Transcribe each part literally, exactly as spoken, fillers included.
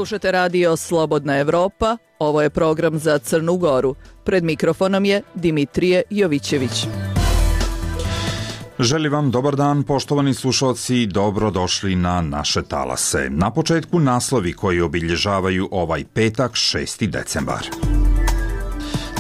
Slušate radio Slobodna Evropa, ovo je program za Crnu Goru. Pred mikrofonom je Dimitrije Jovićević. Želim vam dobar dan, poštovani slušalci, dobrodošli na naše talase. Na početku naslovi koji obilježavaju ovaj petak, šesti decembar.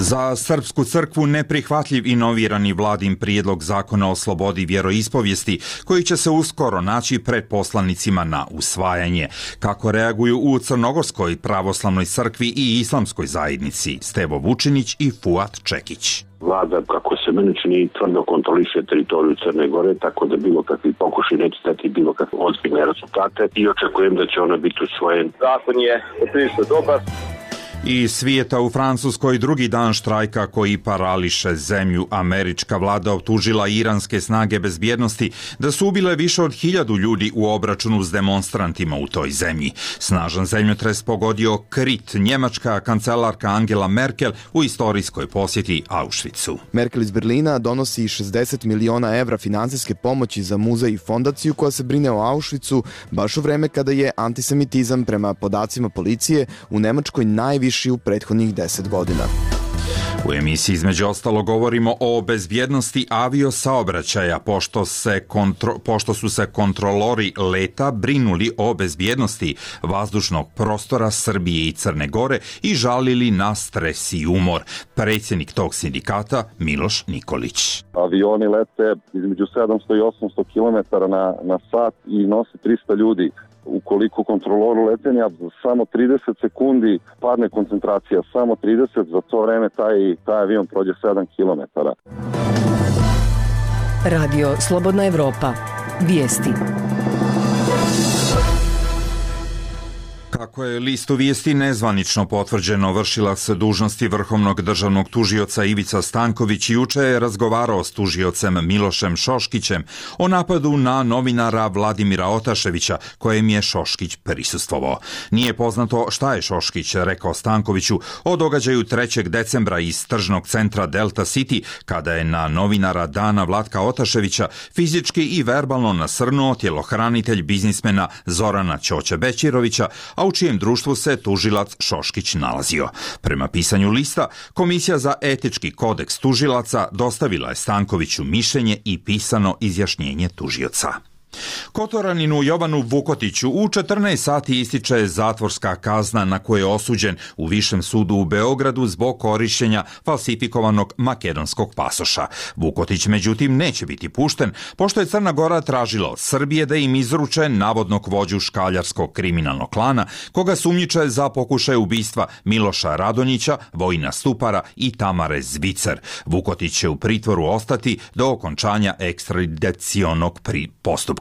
Za Srpsku crkvu neprihvatljiv inovirani vladin prijedlog zakona o slobodi vjeroispovijesti, koji će se uskoro naći pred poslanicima na usvajanje. Kako reaguju u Crnogorskoj pravoslavnoj crkvi i islamskoj zajednici Stevo Vučinić i Fuat Čekić. Vlada, kako se meni čini, tvrdo kontroliše teritoriju Crne Gore, tako da bilo kakvi pokušaj neće dati bilo kakve ozbiljne rezultate i očekujem da će ona biti usvojen. Zakon je prilično dobar. Iz svijeta u Francuskoj drugi dan štrajka koji parališe zemlju. Američka vlada optužila iranske snage bezbjednosti da su ubile više od hiljadu ljudi u obračunu s demonstrantima u toj zemlji. Snažan zemljotres pogodio Krit, njemačka kancelarka Angela Merkel u istorijskoj posjeti Auschwitzu. Merkel iz Berlina donosi šezdeset miliona evra finansijske pomoći za muzej i fondaciju koja se brine o Auschwitzu baš u vreme kada je antisemitizam prema podacima policije u Nemačkoj najviše u prethodnih deset godina. U emisiji između ostalo govorimo o bezbjednosti aviosaobraćaja, pošto, se kontro, pošto su se kontrolori leta brinuli o bezbjednosti vazdušnog prostora Srbije i Crne Gore i žalili na stres i umor. Predsjednik tog sindikata Miloš Nikolić. Avioni lete između sedamsto i osamsto kilometara na, na sat i nose trista ljudi. Ukoliko kontroloru letenja samo trideset sekundi padne koncentracija, samo trideset, za to vreme taj, taj avion prođe sedam kilometara. Radio Slobodna Evropa. Vijesti. Kako je listu vijesti nezvanično potvrđeno, vršilac dužnosti vrhovnog državnog tužioca Ivica Stanković juče je razgovarao s tužiocem Milošem Šoškićem o napadu na novinara Vladimira Otaševića, kojem je Šoškić prisustvovao. Nije poznato šta je Šoškić rekao Stankoviću o događaju trećeg decembra iz tržnog centra Delta City, kada je na novinara Dana Vlatka Otaševića fizički i verbalno nasrnuo tjelohranitelj biznismena Zorana Ćoće Bećirovića, a u čijem društvu se tužilac Šoškić nalazio. Prema pisanju lista, Komisija za etički kodeks tužilaca dostavila je Stankoviću mišljenje i pisano izjašnjenje tužioca. Kotoraninu Jovanu Vukotiću u četrnaest sati ističe zatvorska kazna na koju je osuđen u Višem sudu u Beogradu zbog korištenja falsifikovanog makedonskog pasoša. Vukotić međutim neće biti pušten, pošto je Crna Gora tražila od Srbije da im izruče navodnog vođu škaljarskog kriminalnog klana, koga sumnjiče za pokušaj ubistva Miloša Radonjića, Vojina Stupara i Tamare Zvicer. Vukotić će u pritvoru ostati do okončanja ekstradicionog postupka.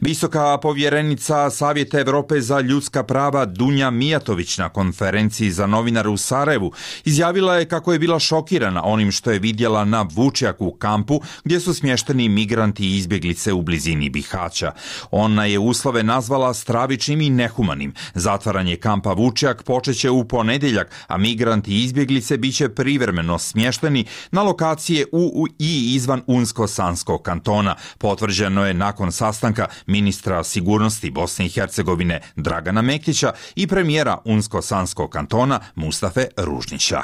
Visoka povjerenica Savjeta Evrope za ljudska prava Dunja Mijatović na konferenciji za novinare u Sarajevu izjavila je kako je bila šokirana onim što je vidjela na Vučjaku u kampu gdje su smješteni migranti i izbjeglice u blizini Bihaća. Ona je uslove nazvala stravičnim i nehumanim. Zatvaranje kampa Vučjak počeće u ponedjeljak, a migranti i izbjeglice biće privremeno smješteni na lokacije u i izvan Unsko-Sanskog kantona. Potvrđeno je nakon sastanka ministra sigurnosti Bosne i Hercegovine Dragana Mektića i premijera Unsko-Sanskog kantona Mustafe Ružnića.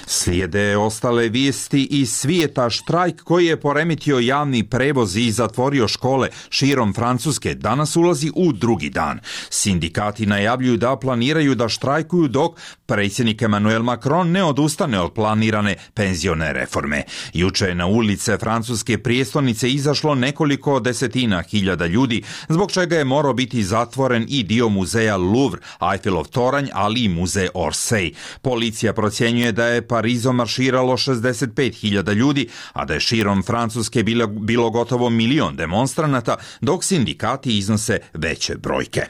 Slijede ostale vijesti iz svijeta. Štrajk koji je poremetio javni prevoz i zatvorio škole širom Francuske danas ulazi u drugi dan. Sindikati najavljuju da planiraju da štrajkuju dok predsjednik Emmanuel Macron ne odustane od planirane penzione reforme. Juče je na ulice francuske prijestolnice izašlo nekoliko desetina hiljada ljudi, zbog čega je morao biti zatvoren i dio muzeja Louvre, Eiffelov toranj, ali i muzej Orsay. Policija procjenjuje da je Parizom marširalo šezdeset pet hiljada ljudi, a da je širom Francuske bilo, bilo gotovo milion demonstranata, dok sindikati iznose veće brojke.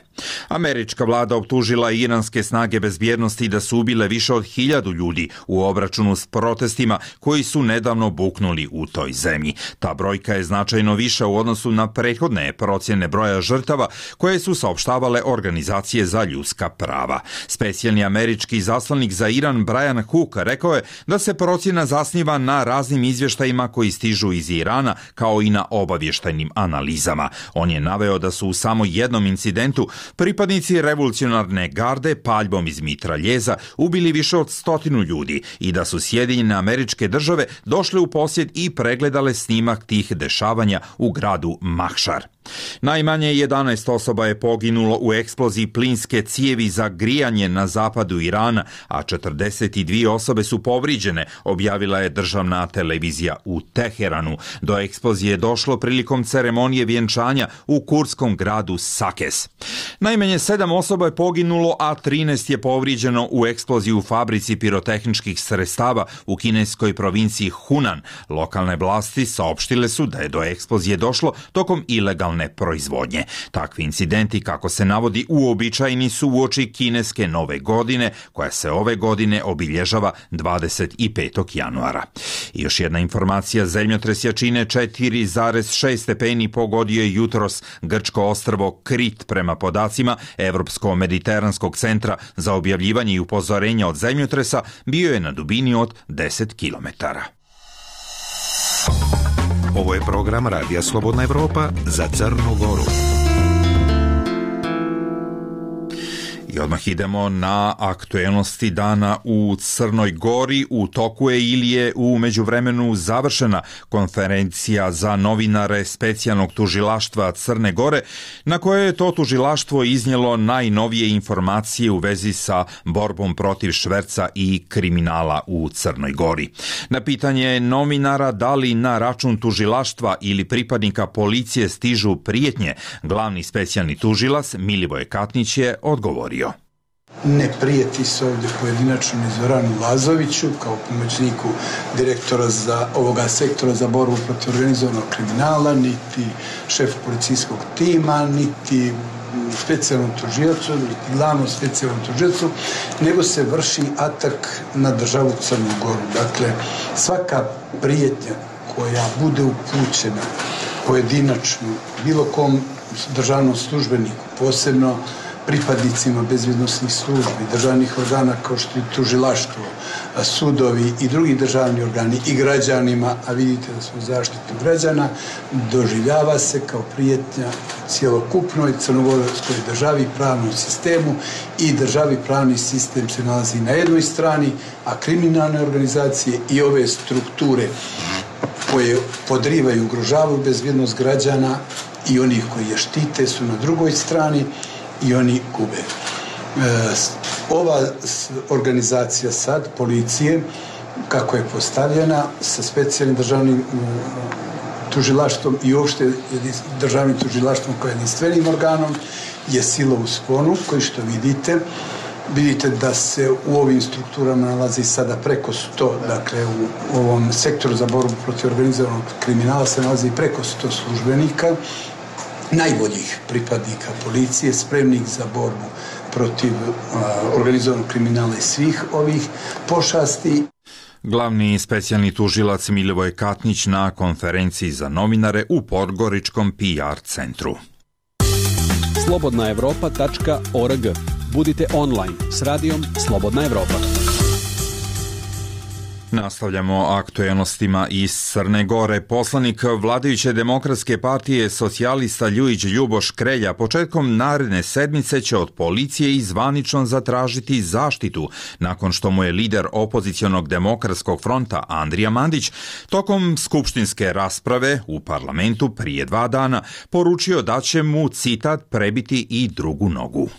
Američka vlada optužila iranske snage bezbjednosti da su ubile više od hiljadu ljudi u obračunu s protestima koji su nedavno buknuli u toj zemlji. Ta brojka je značajno viša u odnosu na prethodne procjene broja žrtava koje su saopštavale organizacije za ljudska prava. Specijalni američki zaslanik za Iran Brian Hook rekao je je da se procjena zasniva na raznim izvještajima koji stižu iz Irana, kao i na obavještajnim analizama. On je naveo da su u samo jednom incidentu pripadnici revolucionarne garde paljbom iz mitraljeza ubili više od stotinu ljudi i da su Sjedinjene Američke Države došle u posjed i pregledale snimak tih dešavanja u gradu Mahšar. Najmanje jedanaest osoba je poginulo u eksploziji plinske cijevi za grijanje na zapadu Irana, a četrdeset dvije osobe su povrijeđene, objavila je državna televizija u Teheranu. Do eksplozije je došlo prilikom ceremonije vjenčanja u kurdskom gradu Sakes. Najmanje sedam osoba je poginulo, a trinaest je povrijeđeno u eksploziji u fabrici pirotehničkih sredstava u kineskoj provinciji Hunan. Lokalne vlasti saopštile su da je do eksplozije došlo tokom ilegalne proizvodnje. Takvi incidenti, kako se navodi, uobičajeni su uoči kineske nove godine, koja se ove godine obilježava dvadeset petog januara. I još jedna informacija, zemljotres jačine četiri zarez šest stepeni pogodio je jutros grčko ostrvo Krit prema podacima Evropsko-mediteranskog centra za objavljivanje i upozorenja od zemljotresa, bio je na dubini od deset kilometara. Ovo je program Radija Slobodna Evropa za Crnu Goru. I odmah idemo na aktuelnosti dana u Crnoj Gori. U toku je ili je u međuvremenu završena konferencija za novinare specijalnog tužilaštva Crne Gore, na koje je to tužilaštvo iznijelo najnovije informacije u vezi sa borbom protiv šverca i kriminala u Crnoj Gori. Na pitanje novinara da li na račun tužilaštva ili pripadnika policije stižu prijetnje, glavni specijalni tužilac Milivoje Katnić je odgovorio. Ne prijeti se ovdje pojedinačno ni Zoranu Lazoviću kao pomoćniku direktora za ovoga sektora za borbu protiv organizovanog kriminala, niti šef policijskog tima, niti specijalnom tužiocu, niti glavnom specijalnom tužiocu, nego se vrši atak na državu Crnu Goru. Dakle, svaka prijetnja koja bude upućena pojedinačno bilo kom državnom službeniku, posebno pripadnicima bezbjednosnih službi, državnih organa kao što je tužilaštvo, sudovi i drugi državni organi i građanima, a vidite da smo zaštitu građana, doživljava se kao prijetnja cjelokupnoj crnogorskoj državi, pravnom sistemu, i državi pravni sistem se nalazi na jednoj strani, a kriminalne organizacije i ove strukture koje podrivaju i ugrožavaju bezbjednost građana i onih koji je štite su na drugoj strani i oni gube. E, ova organizacija sad, policije, kako je postavljena, sa specijalnim državnim tužilaštvom i uopšte državnim tužilaštvom kao jedinstvenim organom, je sila u sponu, koji što vidite, vidite da se u ovim strukturama nalazi sada preko sto, dakle u ovom sektoru za borbu protiv organizovanog kriminala se nalazi preko sto službenika, najboljih pripadnika policije, spremnih za borbu protiv uh, organizovanog kriminala i svih ovih pošasti. Glavni specijalni tužilac Milivoje Katnić na konferenciji za novinare u Podgoričkom P R centru. slobodna evropa tačka org. Budite online s radijom Slobodna Evropa. Nastavljamo aktuelnostima iz Crne Gore. Poslanik vladajuće demokratske partije socijalista Ljujić Ljuboš Krelja početkom naredne sedmice će od policije i zvanično zatražiti zaštitu nakon što mu je lider opozicionog demokratskog fronta Andrija Mandić tokom skupštinske rasprave u parlamentu prije dva dana poručio da će mu, citat, prebiti i drugu nogu.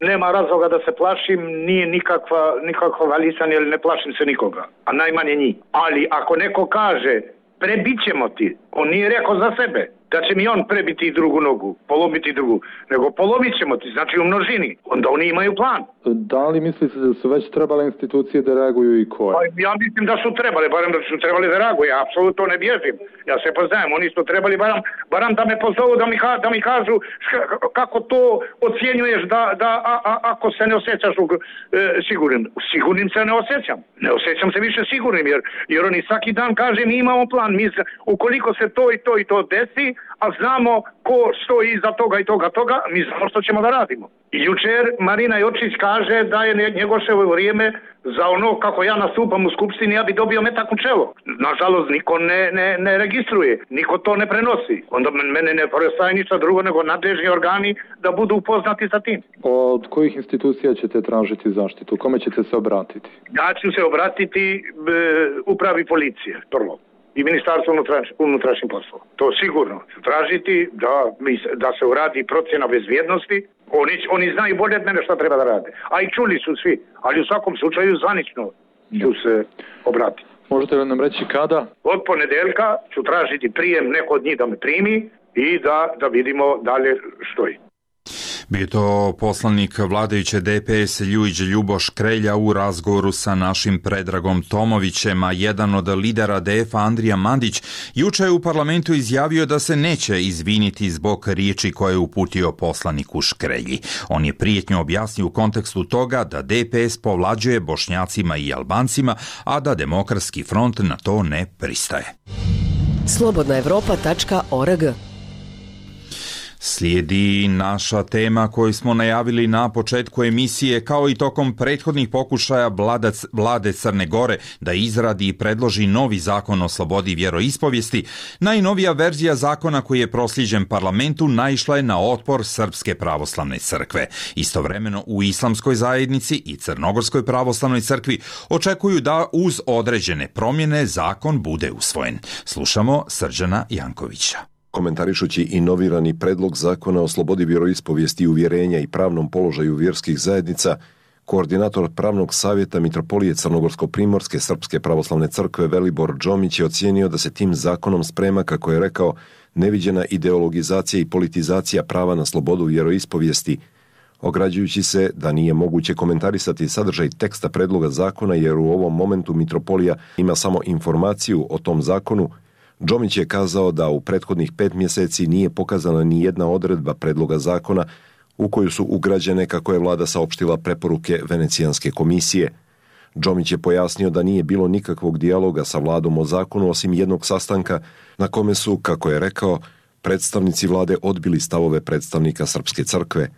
Nema razloga da se plašim, nije nikakva, nikakva valisanje, jer ne plašim se nikoga, a najmanje njih. Ali ako neko kaže, prebit ćemo ti, on nije rekao za sebe da će mi on prebiti i drugu nogu, polomiti drugu, nego polomit ćemo ti, znači u množini. Onda oni imaju plan. Da li mislite da su već trebale institucije da reaguju i koje? Pa, ja mislim da su trebali, barem da su trebali da reaguju, ja apsolutno ne bježim. Ja se poznajem, oni su trebali barem, barem da me pozovu, da mi, da mi kažu kako to ocjenjuješ da, da a, a, ako se ne osjećaš u, e, sigurnim. Sigurnim se ne osjećam. Ne osjećam se više sigurnim, jer, jer oni svaki dan kaže mi imamo plan, mi se, ukoliko se to i to i to desi, a znamo ko stoji iza toga i toga toga, mi znamo što ćemo da radimo. Jučer Marina Jočić kaže da je Njegoševo vrijeme za ono kako ja nastupam u skupštini, ja bi dobio metak u čelo. Nažalost, niko ne, ne, ne registruje, niko to ne prenosi. Onda mene ne preostaje ništa drugo nego nadležni organi da budu upoznati sa tim. Od kojih institucija ćete tražiti zaštitu? Kome ćete se obratiti? Ja ću se obratiti e, upravi policije, prvo. I Ministarstvo unutrašnjih poslova. To sigurno ću tražiti da, da se uradi procjena bezbjednosti. Oni, oni znaju bolje od mene šta treba da rade. A i čuli su svi. Ali u svakom slučaju zvanično ću se obratiti. Možete li nam reći kada? Od ponedeljka ću tražiti prijem, neko od njih da me primi i da, da vidimo dalje što je. Bio to poslanik vladajuće D P S Ljujić Ljuboš Krelja u razgovoru sa našim Predragom Tomovićem, a jedan od lidera D F-a Andrija Mandić juče je u parlamentu izjavio da se neće izviniti zbog riječi koje je uputio poslaniku Škrelji. On je prijetnju objasnio u kontekstu toga da D P S povlađuje Bošnjacima i Albancima, a da Demokratski front na to ne pristaje. slobodna evropa tačka org. Slijedi naša tema koju smo najavili na početku emisije, kao i tokom prethodnih pokušaja vlade Crne Gore da izradi i predloži novi zakon o slobodi vjeroispovijesti. Najnovija verzija zakona koji je proslijeđen parlamentu naišla je na otpor Srpske pravoslavne crkve. Istovremeno u Islamskoj zajednici i Crnogorskoj pravoslavnoj crkvi očekuju da uz određene promjene zakon bude usvojen. Slušamo Srđana Jankovića. Komentarišući inovirani predlog zakona o slobodi vjeroispovijesti i uvjerenja i pravnom položaju vjerskih zajednica, koordinator pravnog savjeta Mitropolije Crnogorsko-primorske Srpske pravoslavne crkve Velibor Džomić je ocijenio da se tim zakonom sprema, kako je rekao, neviđena ideologizacija i politizacija prava na slobodu vjeroispovijesti, ograđujući se da nije moguće komentarisati sadržaj teksta predloga zakona jer u ovom momentu Mitropolija ima samo informaciju o tom zakonu. Džomić je kazao da u prethodnih pet mjeseci nije pokazana ni jedna odredba predloga zakona u koju su ugrađene, kako je vlada saopštila, preporuke Venecijanske komisije. Džomić je pojasnio da nije bilo nikakvog dijaloga sa vladom o zakonu osim jednog sastanka na kome su, kako je rekao, predstavnici vlade odbili stavove predstavnika Srpske crkve.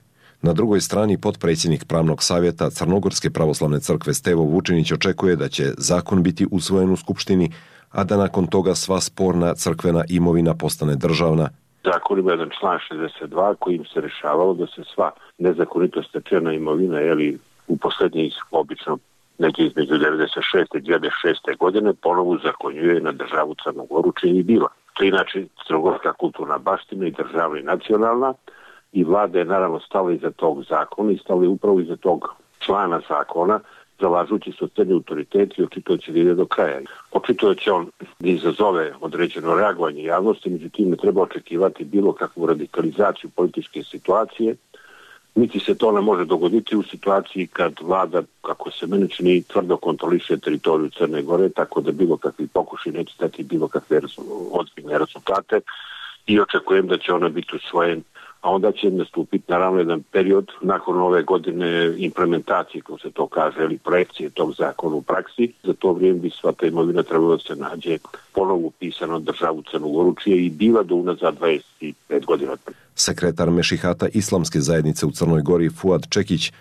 Na drugoj strani potpredsjednik pravnog savjeta Crnogorske pravoslavne crkve Stevo Vučinić očekuje da će zakon biti usvojen u Skupštini, a da nakon toga sva sporna crkvena imovina postane državna. Zakon ima jedan član šezdeset dva kojim se rešavalo da se sva nezakonito stečena imovina, jeli u posljednjih obično negdje između devedeset šeste i dvije hiljade šeste godine ponovo zakonjuje na državu Crnu Goru, čini je bila. To je inače crnogorska kulturna baština i državna i nacionalna, i vlada je naravno stala iza tog zakona i stala je upravo iza tog člana zakona, zalažući se od crni autoriteti i očito će da ide do kraja. Očito će on da izazove određeno reagovanje javnosti, međutim ne treba očekivati bilo kakvu radikalizaciju političke situacije, niti se to ne može dogoditi u situaciji kad vlada, kako se meni čini, tvrdo kontroliše teritoriju Crne Gore, tako da bilo kakvi pokušaj neće dati bilo kakve ozbiljne rezultate i očekujem da će ona biti usvojen, a onda će nastupiti naravno jedan period nakon ove godine implementacije, kako se to kaže, ili projekcije tog zakona u praksi. Za to vrijeme bi sva ta imovina trebalo da se nađe ponovo upisano državu Crnu Goru, čije i bila do unazad dvadeset pet godina. Sekretar Mešihata Islamske zajednice u Crnoj Gori Fuad Čekić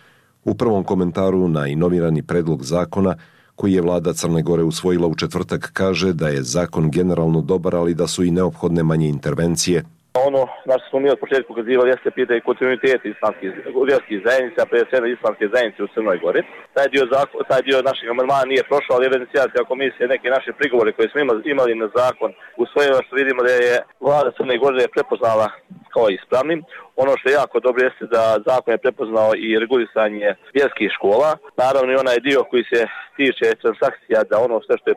u prvom komentaru na inovirani predlog zakona koji je vlada Crne Gore usvojila u četvrtak kaže da je zakon generalno dobar, ali da su i neophodne manje intervencije. Ono na što smo mi od početka ukazivali jeste pitanje kontinuiteta islamskih vjerskih zajednica, prije svega islamske zajednice u Crnoj Gori. Taj dio, zakon, taj dio našeg amandmana nije prošao, ali Venecijanska komisija neke naše prigovore koje smo imali na zakon usvojila, što vidimo da je vlada Crne Gore prepoznala kao ispravnim. Ono što je jako dobro jeste da zakon je prepoznao i regulisanje vjerskih škola. Naravno i onaj dio koji se tiče transakcija, da ono sve što je,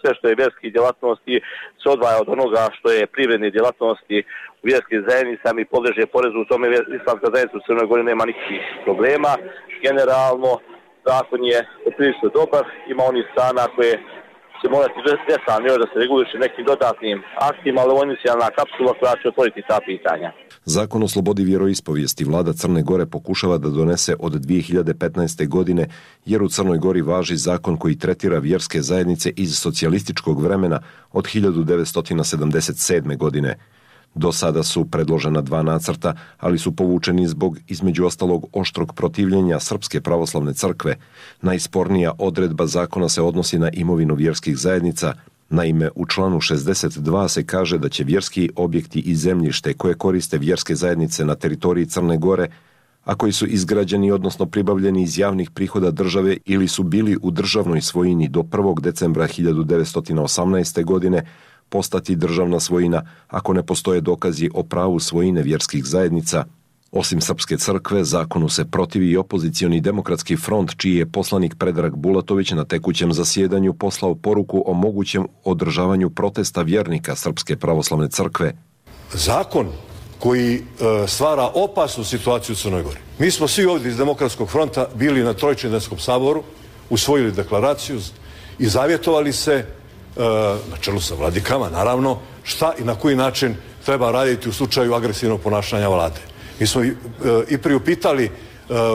sve što je vjerskih djelatnosti se odvaja od onoga što je privredne djelatnosti u vjerskim zajednicama i podleže porezu. U tome islamska zajednica u Crnoj Gori nema nikakvih problema. Generalno zakon je prilično dobar, ima onih strana koje se morati detaljno da se reguliše nekim dodatnim aktima, ali ovo je inicijalna kapsula koja će otvoriti ta pitanja. Zakon o slobodi vjeroispovijesti vlada Crne Gore pokušava da donese od dvije hiljade petnaeste. godine, jer u Crnoj Gori važi zakon koji tretira vjerske zajednice iz socijalističkog vremena od hiljadu devetsto sedamdeset sedme. godine. Do sada su predložena dva nacrta, ali su povučeni zbog, između ostalog, oštrog protivljenja Srpske pravoslavne crkve. Najspornija odredba zakona se odnosi na imovinu vjerskih zajednica. Naime, u članu šezdeset dva se kaže da će vjerski objekti i zemljište koje koriste vjerske zajednice na teritoriji Crne Gore, a koji su izgrađeni odnosno pribavljeni iz javnih prihoda države ili su bili u državnoj svojini do prvog decembra hiljadu devetsto osamnaeste. godine, postati državna svojina ako ne postoje dokazi o pravu svojine vjerskih zajednica. Osim Srpske crkve, zakonu se protivi i opozicioni demokratski front, čiji je poslanik Predrag Bulatović na tekućem zasjedanju poslao poruku o mogućem održavanju protesta vjernika Srpske pravoslavne crkve. Zakon koji e, stvara opasnu situaciju u Crnoj Gori. Mi smo svi ovdje iz Demokratskog fronta bili na Trojčedenskom saboru, usvojili deklaraciju i zavjetovali se e, na čelu sa vladikama, naravno, šta i na koji način treba raditi u slučaju agresivnog ponašanja vlade. Mi smo i, e, i priupitali e,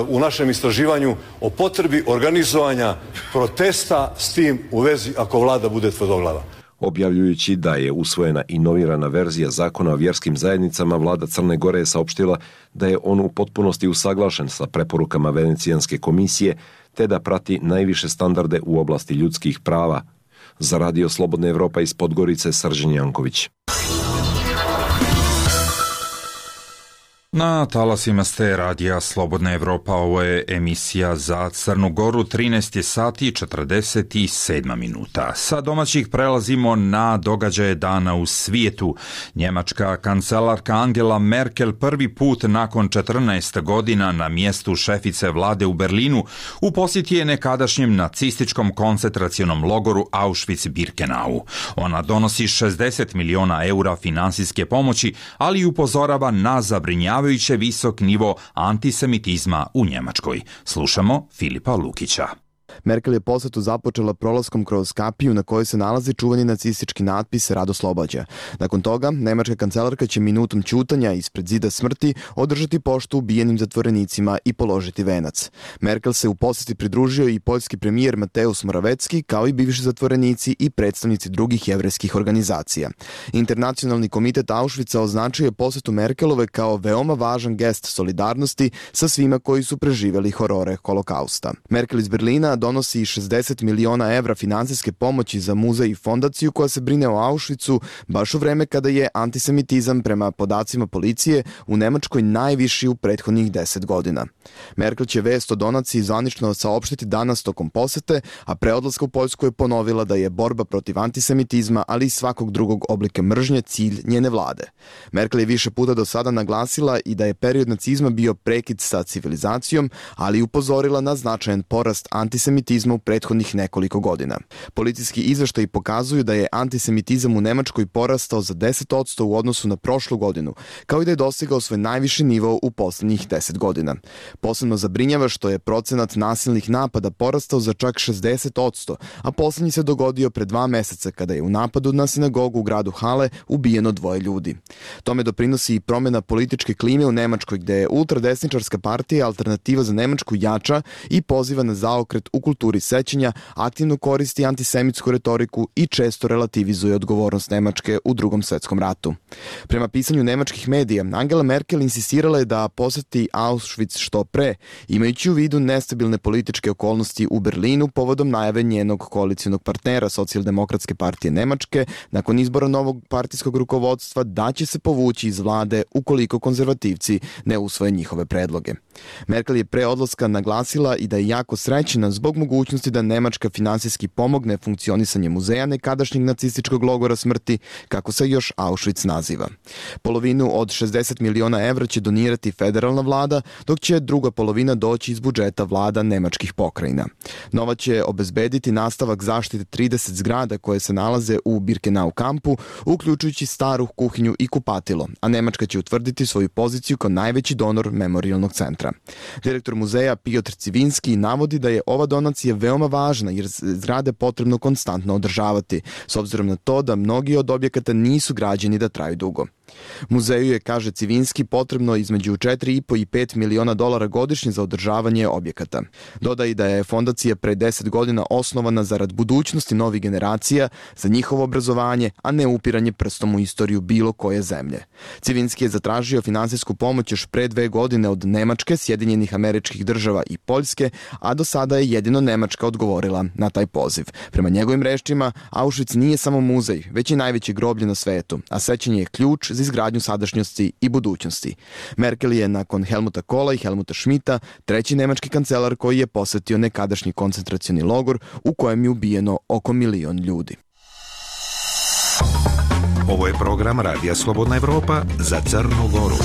u našem istraživanju o potrebi organizovanja protesta s tim u vezi ako vlada bude tvrdoglava. Objavljujući da je usvojena inovirana verzija zakona o vjerskim zajednicama, vlada Crne Gore je saopštila da je on u potpunosti usaglašen sa preporukama Venecijanske komisije, te da prati najviše standarde u oblasti ljudskih prava. Za Radio Slobodna Evropa iz Podgorice, Srđan Janković. Na talasima ste Radija Slobodna Evropa, ovo je emisija za Crnu Goru, trinaest sati i četrdeset sedam minuta. Sa domaćih prelazimo na događaje dana u svijetu. Njemačka kancelarka Angela Merkel prvi put nakon četrnaest godina na mjestu šefice vlade u Berlinu u posjeti je nekadašnjem nacističkom koncentracionom logoru Auschwitz-Birkenau. Ona donosi šezdeset miliona eura finansijske pomoći, ali i upozorava na zabrinjavanje visok nivo antisemitizma u Njemačkoj. Slušamo Filipa Lukića. Merkel je posjetu započela prolaskom kroz kapiju na kojoj se nalazi čuveni nacistički natpis Rado Slobađa. Nakon toga, nemačka kancelarka će minutom ćutanja ispred zida smrti održati poštu ubijenim zatvorenicima i položiti venac. Merkel se u posjeti pridružio i poljski premijer Mateusz Morawiecki, kao i bivši zatvorenici i predstavnici drugih jevrejskih organizacija. Internacionalni komitet Auschwitza označio je posjetu Merkelove kao veoma važan gest solidarnosti sa svima koji su preživjeli horore holokausta. Merkel iz Berlina donosi šezdeset miliona evra finansijske pomoći za muzej i fondaciju koja se brine o Auschwitzu baš u vreme kada je antisemitizam prema podacima policije u Nemačkoj najviši u prethodnih deset godina. Merkel će vest o donaciji zvanično saopštiti danas tokom posete, a pre odlaska u Poljsku je ponovila da je borba protiv antisemitizma, ali i svakog drugog oblika mržnje cilj njene vlade. Merkel je više puta do sada naglasila i da je period nacizma bio prekid sa civilizacijom, ali i upozorila na značajan porast antisemitizma u prethodnih nekoliko godina. Policijski izveštaji pokazuju da je antisemitizam u Nemačkoj porastao za deset posto u odnosu na prošlu godinu, kao i da je dostigao svoj najviši nivo u posljednjih deset godina. Posebno zabrinjava što je procenat nasilnih napada porastao za čak šezdeset posto, a posljednji se dogodio pre dva meseca kada je u napadu na sinagogu u gradu Hale ubijeno dvoje ljudi. Tome doprinosi i promjena političke klime u Nemačkoj, gde je ultradesničarska partija Alternativa za Nemačku jača i poziva na zaokret u kulturi sećanja, aktivno koristi antisemitsku retoriku i često relativizuje odgovornost Nemačke u Drugom svjetskom ratu. Prema pisanju nemačkih medija, Angela Merkel insistirala je da posjeti Auschwitz što pre, imajući u vidu nestabilne političke okolnosti u Berlinu povodom najave njenog koalicionog partnera Socijaldemokratske partije Nemačke nakon izbora novog partijskog rukovodstva da će se povući iz vlade ukoliko konzervativci ne usvoje njihove predloge. Merkel je pre odlaska naglasila i da je jako srećna zbog mogućnosti da Nemačka finansijski pomogne funkcionisanje muzeja nekadašnjeg nacističkog logora smrti, kako se još Auschwitz naziva. Polovinu od šezdeset miliona evra će donirati federalna vlada, dok će druga polovina doći iz budžeta vlada nemačkih pokrajina. Novac će obezbediti nastavak zaštite trideset zgrada koje se nalaze u Birkenau kampu, uključujući staru kuhinju i kupatilo, a Nemačka će utvrditi svoju poziciju kao najveći donor memorijalnog centra. Direktor muzeja Piotr Civinski navodi da je ova donacija veoma važna jer zgrade potrebno konstantno održavati, s obzirom na to da mnogi od objekata nisu građeni da traju dugo. Muzeju je, kaže Civinski, potrebno između četiri i po i pet miliona dolara godišnje za održavanje objekata. Dodaje da je fondacija pre deset godina osnovana zarad budućnosti novih generacija, za njihovo obrazovanje, a ne upiranje prstom u istoriju bilo koje zemlje. Civinski je zatražio finansijsku pomoć još pre dve godine od Nemačke, Sjedinjenih Američkih Država i Poljske, a do sada je jedino Nemačka odgovorila na taj poziv. Prema njegovim rečima, Auschwitz nije samo muzej, već i najveće groblje na svetu, a sećanje je ključ za izgradnju sadašnjosti i budućnosti. Merkel je nakon Helmuta Kohla i Helmuta Schmidta treći nemački kancelar koji je posetio nekadašnji koncentracioni logor u kojem je ubijeno oko milion ljudi. Ovo je program Radija Slobodna Evropa za Crnu Goru.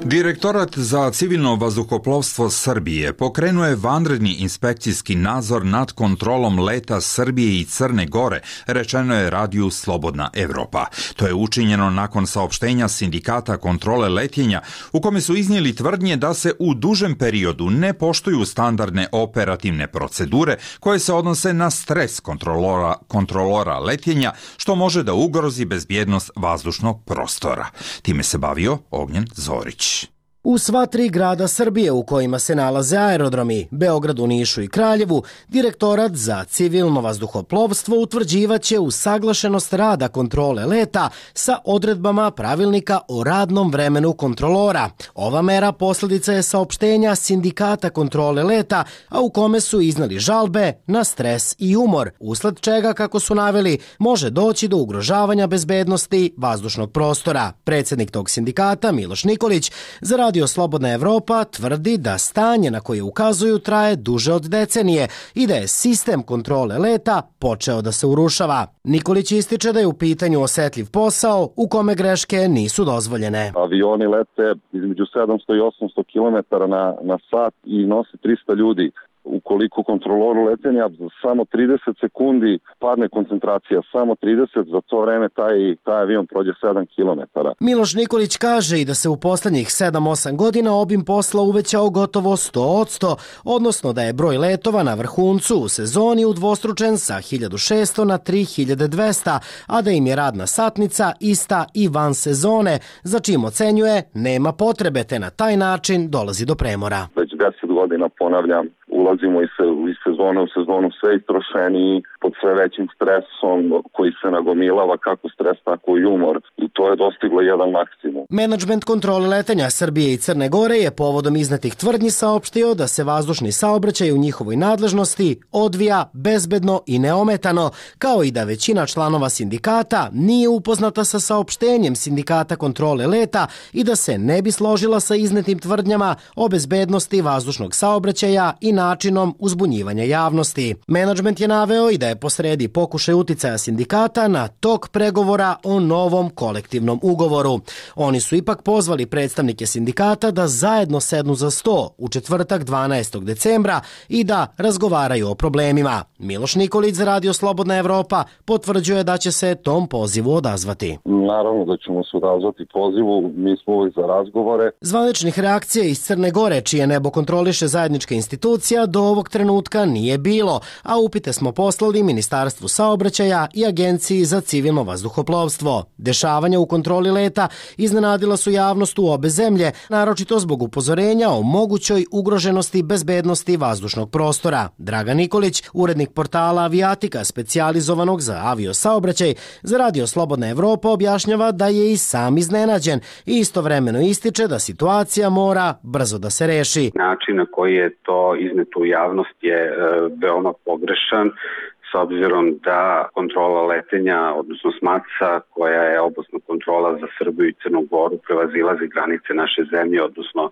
Direktorat za civilno vazduhoplovstvo Srbije pokrenuo je vanredni inspekcijski nadzor nad kontrolom leta Srbije i Crne Gore, rečeno je radiju Slobodna Evropa. To je učinjeno nakon saopštenja Sindikata kontrole letenja, u kome su iznijeli tvrdnje da se u dužem periodu ne poštuju standardne operativne procedure koje se odnose na stres kontrolora, kontrolora letenja, što može da ugrozi bezbjednost vazdušnog prostora. Time se bavio Ognjen Zorić. U sva tri grada Srbije u kojima se nalaze aerodromi, Beogradu, Nišu i Kraljevu, Direktorat za civilno vazduhoplovstvo utvrđivaće usaglašenost rada kontrole leta sa odredbama pravilnika o radnom vremenu kontrolora. Ova mera posljedica je saopštenja Sindikata kontrole leta, a u kome su iznali žalbe na stres i umor, usled čega, kako su naveli, može doći do ugrožavanja bezbednosti vazdušnog prostora. Predsjednik tog sindikata, Miloš Nikolić, za Radio Slobodna Evropa tvrdi da stanje na koje ukazuju traje duže od decenije i da je sistem kontrole leta počeo da se urušava. Nikolić ističe da je u pitanju osetljiv posao u kome greške nisu dozvoljene. Avioni lete između sedamsto i osamsto kilometara na, na sat i nose trista ljudi. Ukoliko kontroloru letenja samo trideset sekundi padne koncentracija, samo trideset, za to vreme taj, taj avion prođe sedam kilometara. Miloš Nikolić kaže i da se u poslednjih sedam osam godina obim posla uvećao gotovo sto posto, odnosno da je broj letova na vrhuncu u sezoni udvostručen sa hiljadu šesto na tri hiljade dvesta, a da im je radna satnica ista i van sezone, za čim ocenjuje nema potrebe, te na taj način dolazi do premora. Već deset godina ponavljam, ulazimo iz, iz sezone u sezonu sve istrošeni, pod sve većim stresom koji se nagomilava, kako stres, tako i umor. I to je dostiglo jedan maksimum. Menadžment kontrole letenja Srbije i Crne Gore je povodom iznetih tvrdnji saopštio da se vazdušni saobraćaj u njihovoj nadležnosti odvija bezbedno i neometano, kao i da većina članova sindikata nije upoznata sa saopštenjem Sindikata kontrole leta i da se ne bi složila sa iznetim tvrdnjama o bezbednosti vazdušnog saobraćaja i načinom uzbunjivanja javnosti. Menadžment je naveo i da je posredi pokušaj uticaja sindikata na tok pregovora o novom kolektivnom ugovoru. Oni su ipak pozvali predstavnike sindikata da zajedno sednu za sto u četvrtak dvanaestog decembra i da razgovaraju o problemima. Miloš Nikolić za Radio Slobodna Evropa potvrđuje da će se tom pozivu odazvati. Naravno da ćemo se odazvati pozivu, mi smo uvijek za razgovore. Zvaničnih reakcija iz Crne Gore, čije nebo kontroliše zajednička institucija, do ovog trenutka nije bilo, a upite smo poslali Ministarstvu saobraćaja i Agenciji za civilno vazduhoplovstvo. Dešavanja u kontroli leta iznenadila su javnost u obe zemlje, naročito zbog upozorenja o mogućoj ugroženosti bezbednosti vazdušnog prostora. Dragan Nikolić, urednik portala Avijatika, specijalizovanog za avio saobraćaj, za Radio Slobodna Evropa objašnjava da je i sam iznenađen i istovremeno ističe da situacija mora brzo da se reši. Način na koji je to izneto u javnost je e, veoma pogrešan, s obzirom da kontrola letenja, odnosno SMATSA, koja je oblastna kontrola za Srbiju i Crnu Goru, prevazilazi granice naše zemlje, odnosno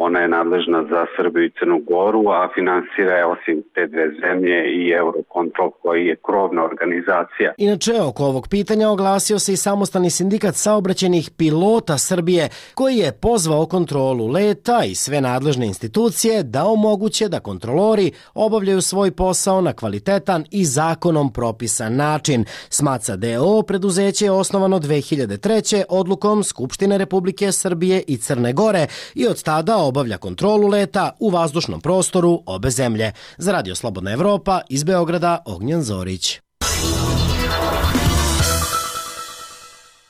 ona je nadležna za Srbiju i Crnu Goru, a finansira je osim te dve zemlje i Eurocontrol, koji je krovna organizacija. Inače, oko ovog pitanja oglasio se i samostalni sindikat saobraćajnih pilota Srbije, koji je pozvao kontrolu leta i sve nadležne institucije da omoguće da kontrolori obavljaju svoj posao na kvalitetan i zakonom propisan način. SMATSA D O O preduzeće je osnovano dve hiljade treće odlukom Skupštine Republike Srbije i Crne Gore i od tada obavlja kontrolu leta u vazdušnom prostoru obe zemlje. Za Radio Slobodna Evropa iz Beograda, Ognjen Zorić.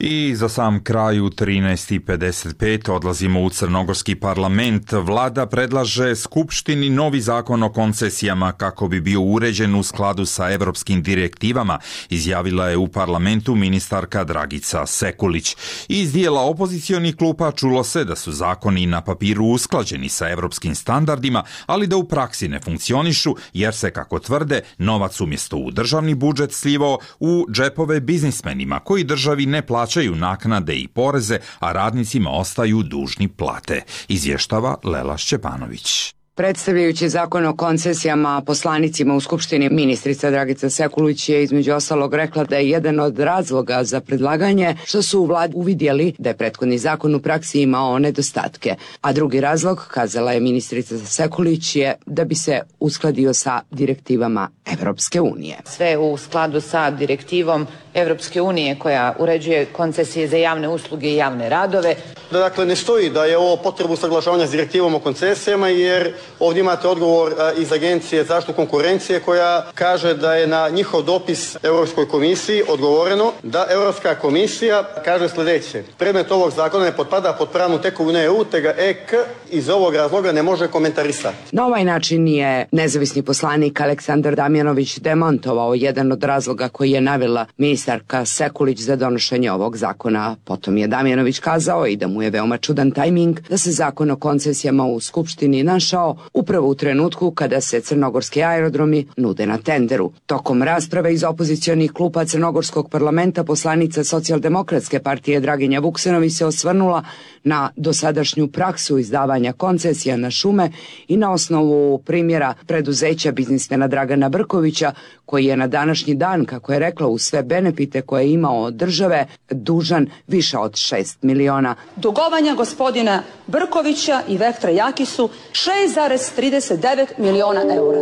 I za sam kraj u trinaest i pedeset pet odlazimo u crnogorski parlament. Vlada predlaže Skupštini novi zakon o koncesijama kako bi bio uređen u skladu sa evropskim direktivama, izjavila je u parlamentu ministarka Dragica Sekulić. Iz dijela opozicionih klupa čulo se da su zakoni na papiru usklađeni sa evropskim standardima, ali da u praksi ne funkcionišu jer se, kako tvrde, novac umjesto u državni budžet slivao u džepove biznismenima koji državi ne plaćaju naknade i poreze, a radnicima ostaju dužni plate, izvještava Lela Šćepanović. Predstavljajući zakon o koncesijama poslanicima u Skupštini, ministrica Dragica Sekulić je između ostalog rekla da je jedan od razloga za predlaganje što su u vladi uvidjeli da je prethodni zakon u praksi imao nedostatke. A drugi razlog, kazala je ministrica Sekulić, je da bi se uskladio sa direktivama Evropske unije. Sve u skladu sa direktivom Evropske unije koja uređuje koncesije za javne usluge i javne radove. Da, dakle, ne stoji da je ovo potrebu usaglašavanja s direktivom o koncesijama, jer ovdje imate odgovor iz Agencije za zaštitu konkurencije koja kaže da je na njihov dopis Europskoj komisiji odgovoreno da Europska komisija kaže sljedeće: predmet ovog zakona ne potpada pod pravnu tekovinu E U, te ga E K iz ovog razloga ne može komentarisati. Na ovaj način je nezavisni poslanik Aleksandar Damjanović demontovao jedan od razloga koji je navela ministarka Sekulić za donošenje ovog zakona. Potom je Damjanović kazao i da mu je veoma čudan tajming da se zakon o koncesijama u Skupštini našao upravo u trenutku kada se crnogorski aerodromi nude na tenderu. Tokom rasprave iz opozicionih klupa crnogorskog parlamenta poslanica Socijaldemokratske partije Draginja Vuksanović se osvrnula na dosadašnju praksu izdavanja koncesija na šume i na osnovu primjera preduzeća biznismena Dragana Brkovića, koji je na današnji dan, kako je rekla, uz sve benefite koje je imao od države, dužan više od šest miliona. Dugovanja gospodina Brkovića i Vektra Jakisu šest zarez trideset devet miliona eura.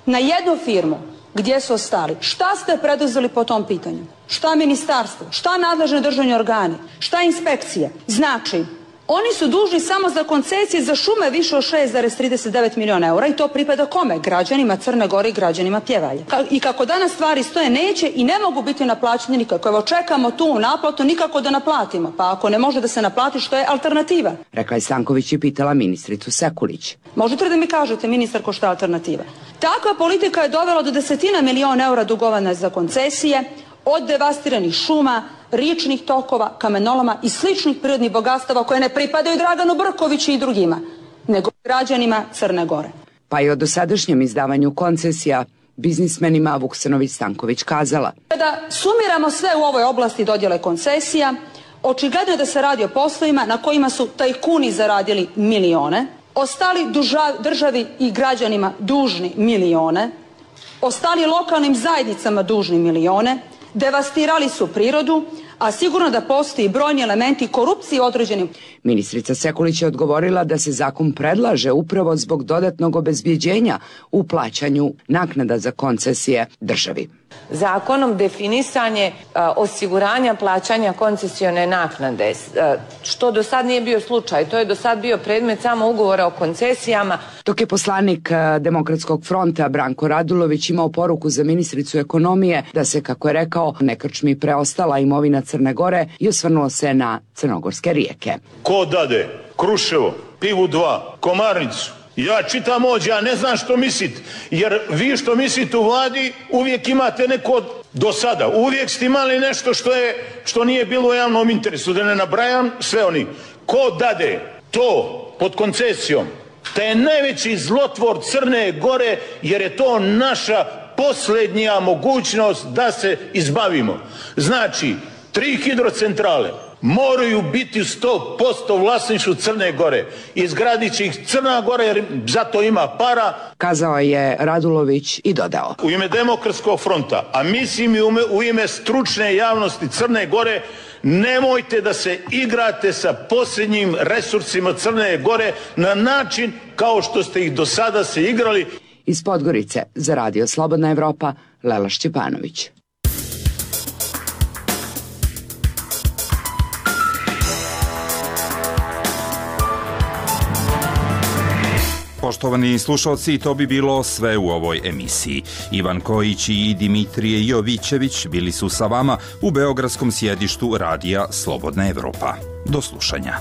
Na jednu firmu gdje su ostali. Šta ste preduzeli po tom pitanju? Šta ministarstvo? Šta nadležni državni organi? Šta inspekcije? Znači, oni su dužni samo za koncesije za šume više od šest zarez trideset devet miliona eura i to pripada kome? Građanima Crne Gore i građanima Pjevalje. I kako danas stvari stoje, neće i ne mogu biti naplaćeni nikako. Evo, čekamo tu naplatu nikako da naplatimo. Pa ako ne može da se naplati, što je alternativa? Rekla je Stanković i pitala ministricu Sekulić. Možete li da mi kažete, ministarko, šta je alternativa? Takva politika je dovela do desetina miliona eura dugovanja za koncesije, od devastiranih šuma, riječnih tokova, kamenoloma i sličnih prirodnih bogatstava koje ne pripadaju Draganu Brkoviću i drugima, nego građanima Crne Gore. Pa i o dosadašnjem izdavanju koncesija biznismenima Vuksanović Stanković kazala. Da sumiramo sve u ovoj oblasti dodjele koncesija, očigledno je da se radi o poslovima na kojima su tajkuni zaradili milione, ostali državi i građanima dužni milione, ostali lokalnim zajednicama dužni milione, devastirali su prirodu, a sigurno da postoji brojni elementi korupcije određenim. Ministrica Sekulić je odgovorila da se zakon predlaže upravo zbog dodatnog obezbjeđenja u plaćanju naknada za koncesije državi. Zakonom definisanje osiguranja plaćanja koncesione naknade, što do sad nije bio slučaj. To je do sad bio predmet samo ugovora o koncesijama. Dok je poslanik Demokratskog fronta Branko Radulović imao poruku za ministricu ekonomije da se, kako je rekao, ne krčmi preostala imovina Crne Gore i osvrnuo se na crnogorske rijeke. Ko dade Kruševo, Pivu dva, Komarnicu? Ja čitam ovdje, ja ne znam što mislite, jer vi što mislite u vladi uvijek imate neko do sada, uvijek ste imali nešto što, je, što nije bilo u javnom interesu, da ne nabrajam sve oni. Ko dade to pod koncesijom, taj je najveći zlotvor Crne Gore, jer je to naša posljednja mogućnost da se izbavimo. Znači, tri hidrocentrale moraju biti u sto posto vlasništvu Crne Gore. Izgradit će ih Crna Gora jer zato ima para. Kazao je Radulović i dodao. U ime Demokratskog fronta, a mislim i u ime stručne javnosti Crne Gore, nemojte da se igrate sa posljednjim resursima Crne Gore na način kao što ste ih do sada se igrali. Iz Podgorice za Radio Slobodna Evropa, Lela Šćepanović. Poštovani slušalci, to bi bilo sve u ovoj emisiji. Ivan Kojić i Dimitrije Jovićević bili su sa vama u beogradskom sjedištu radija Slobodna Evropa. Do slušanja.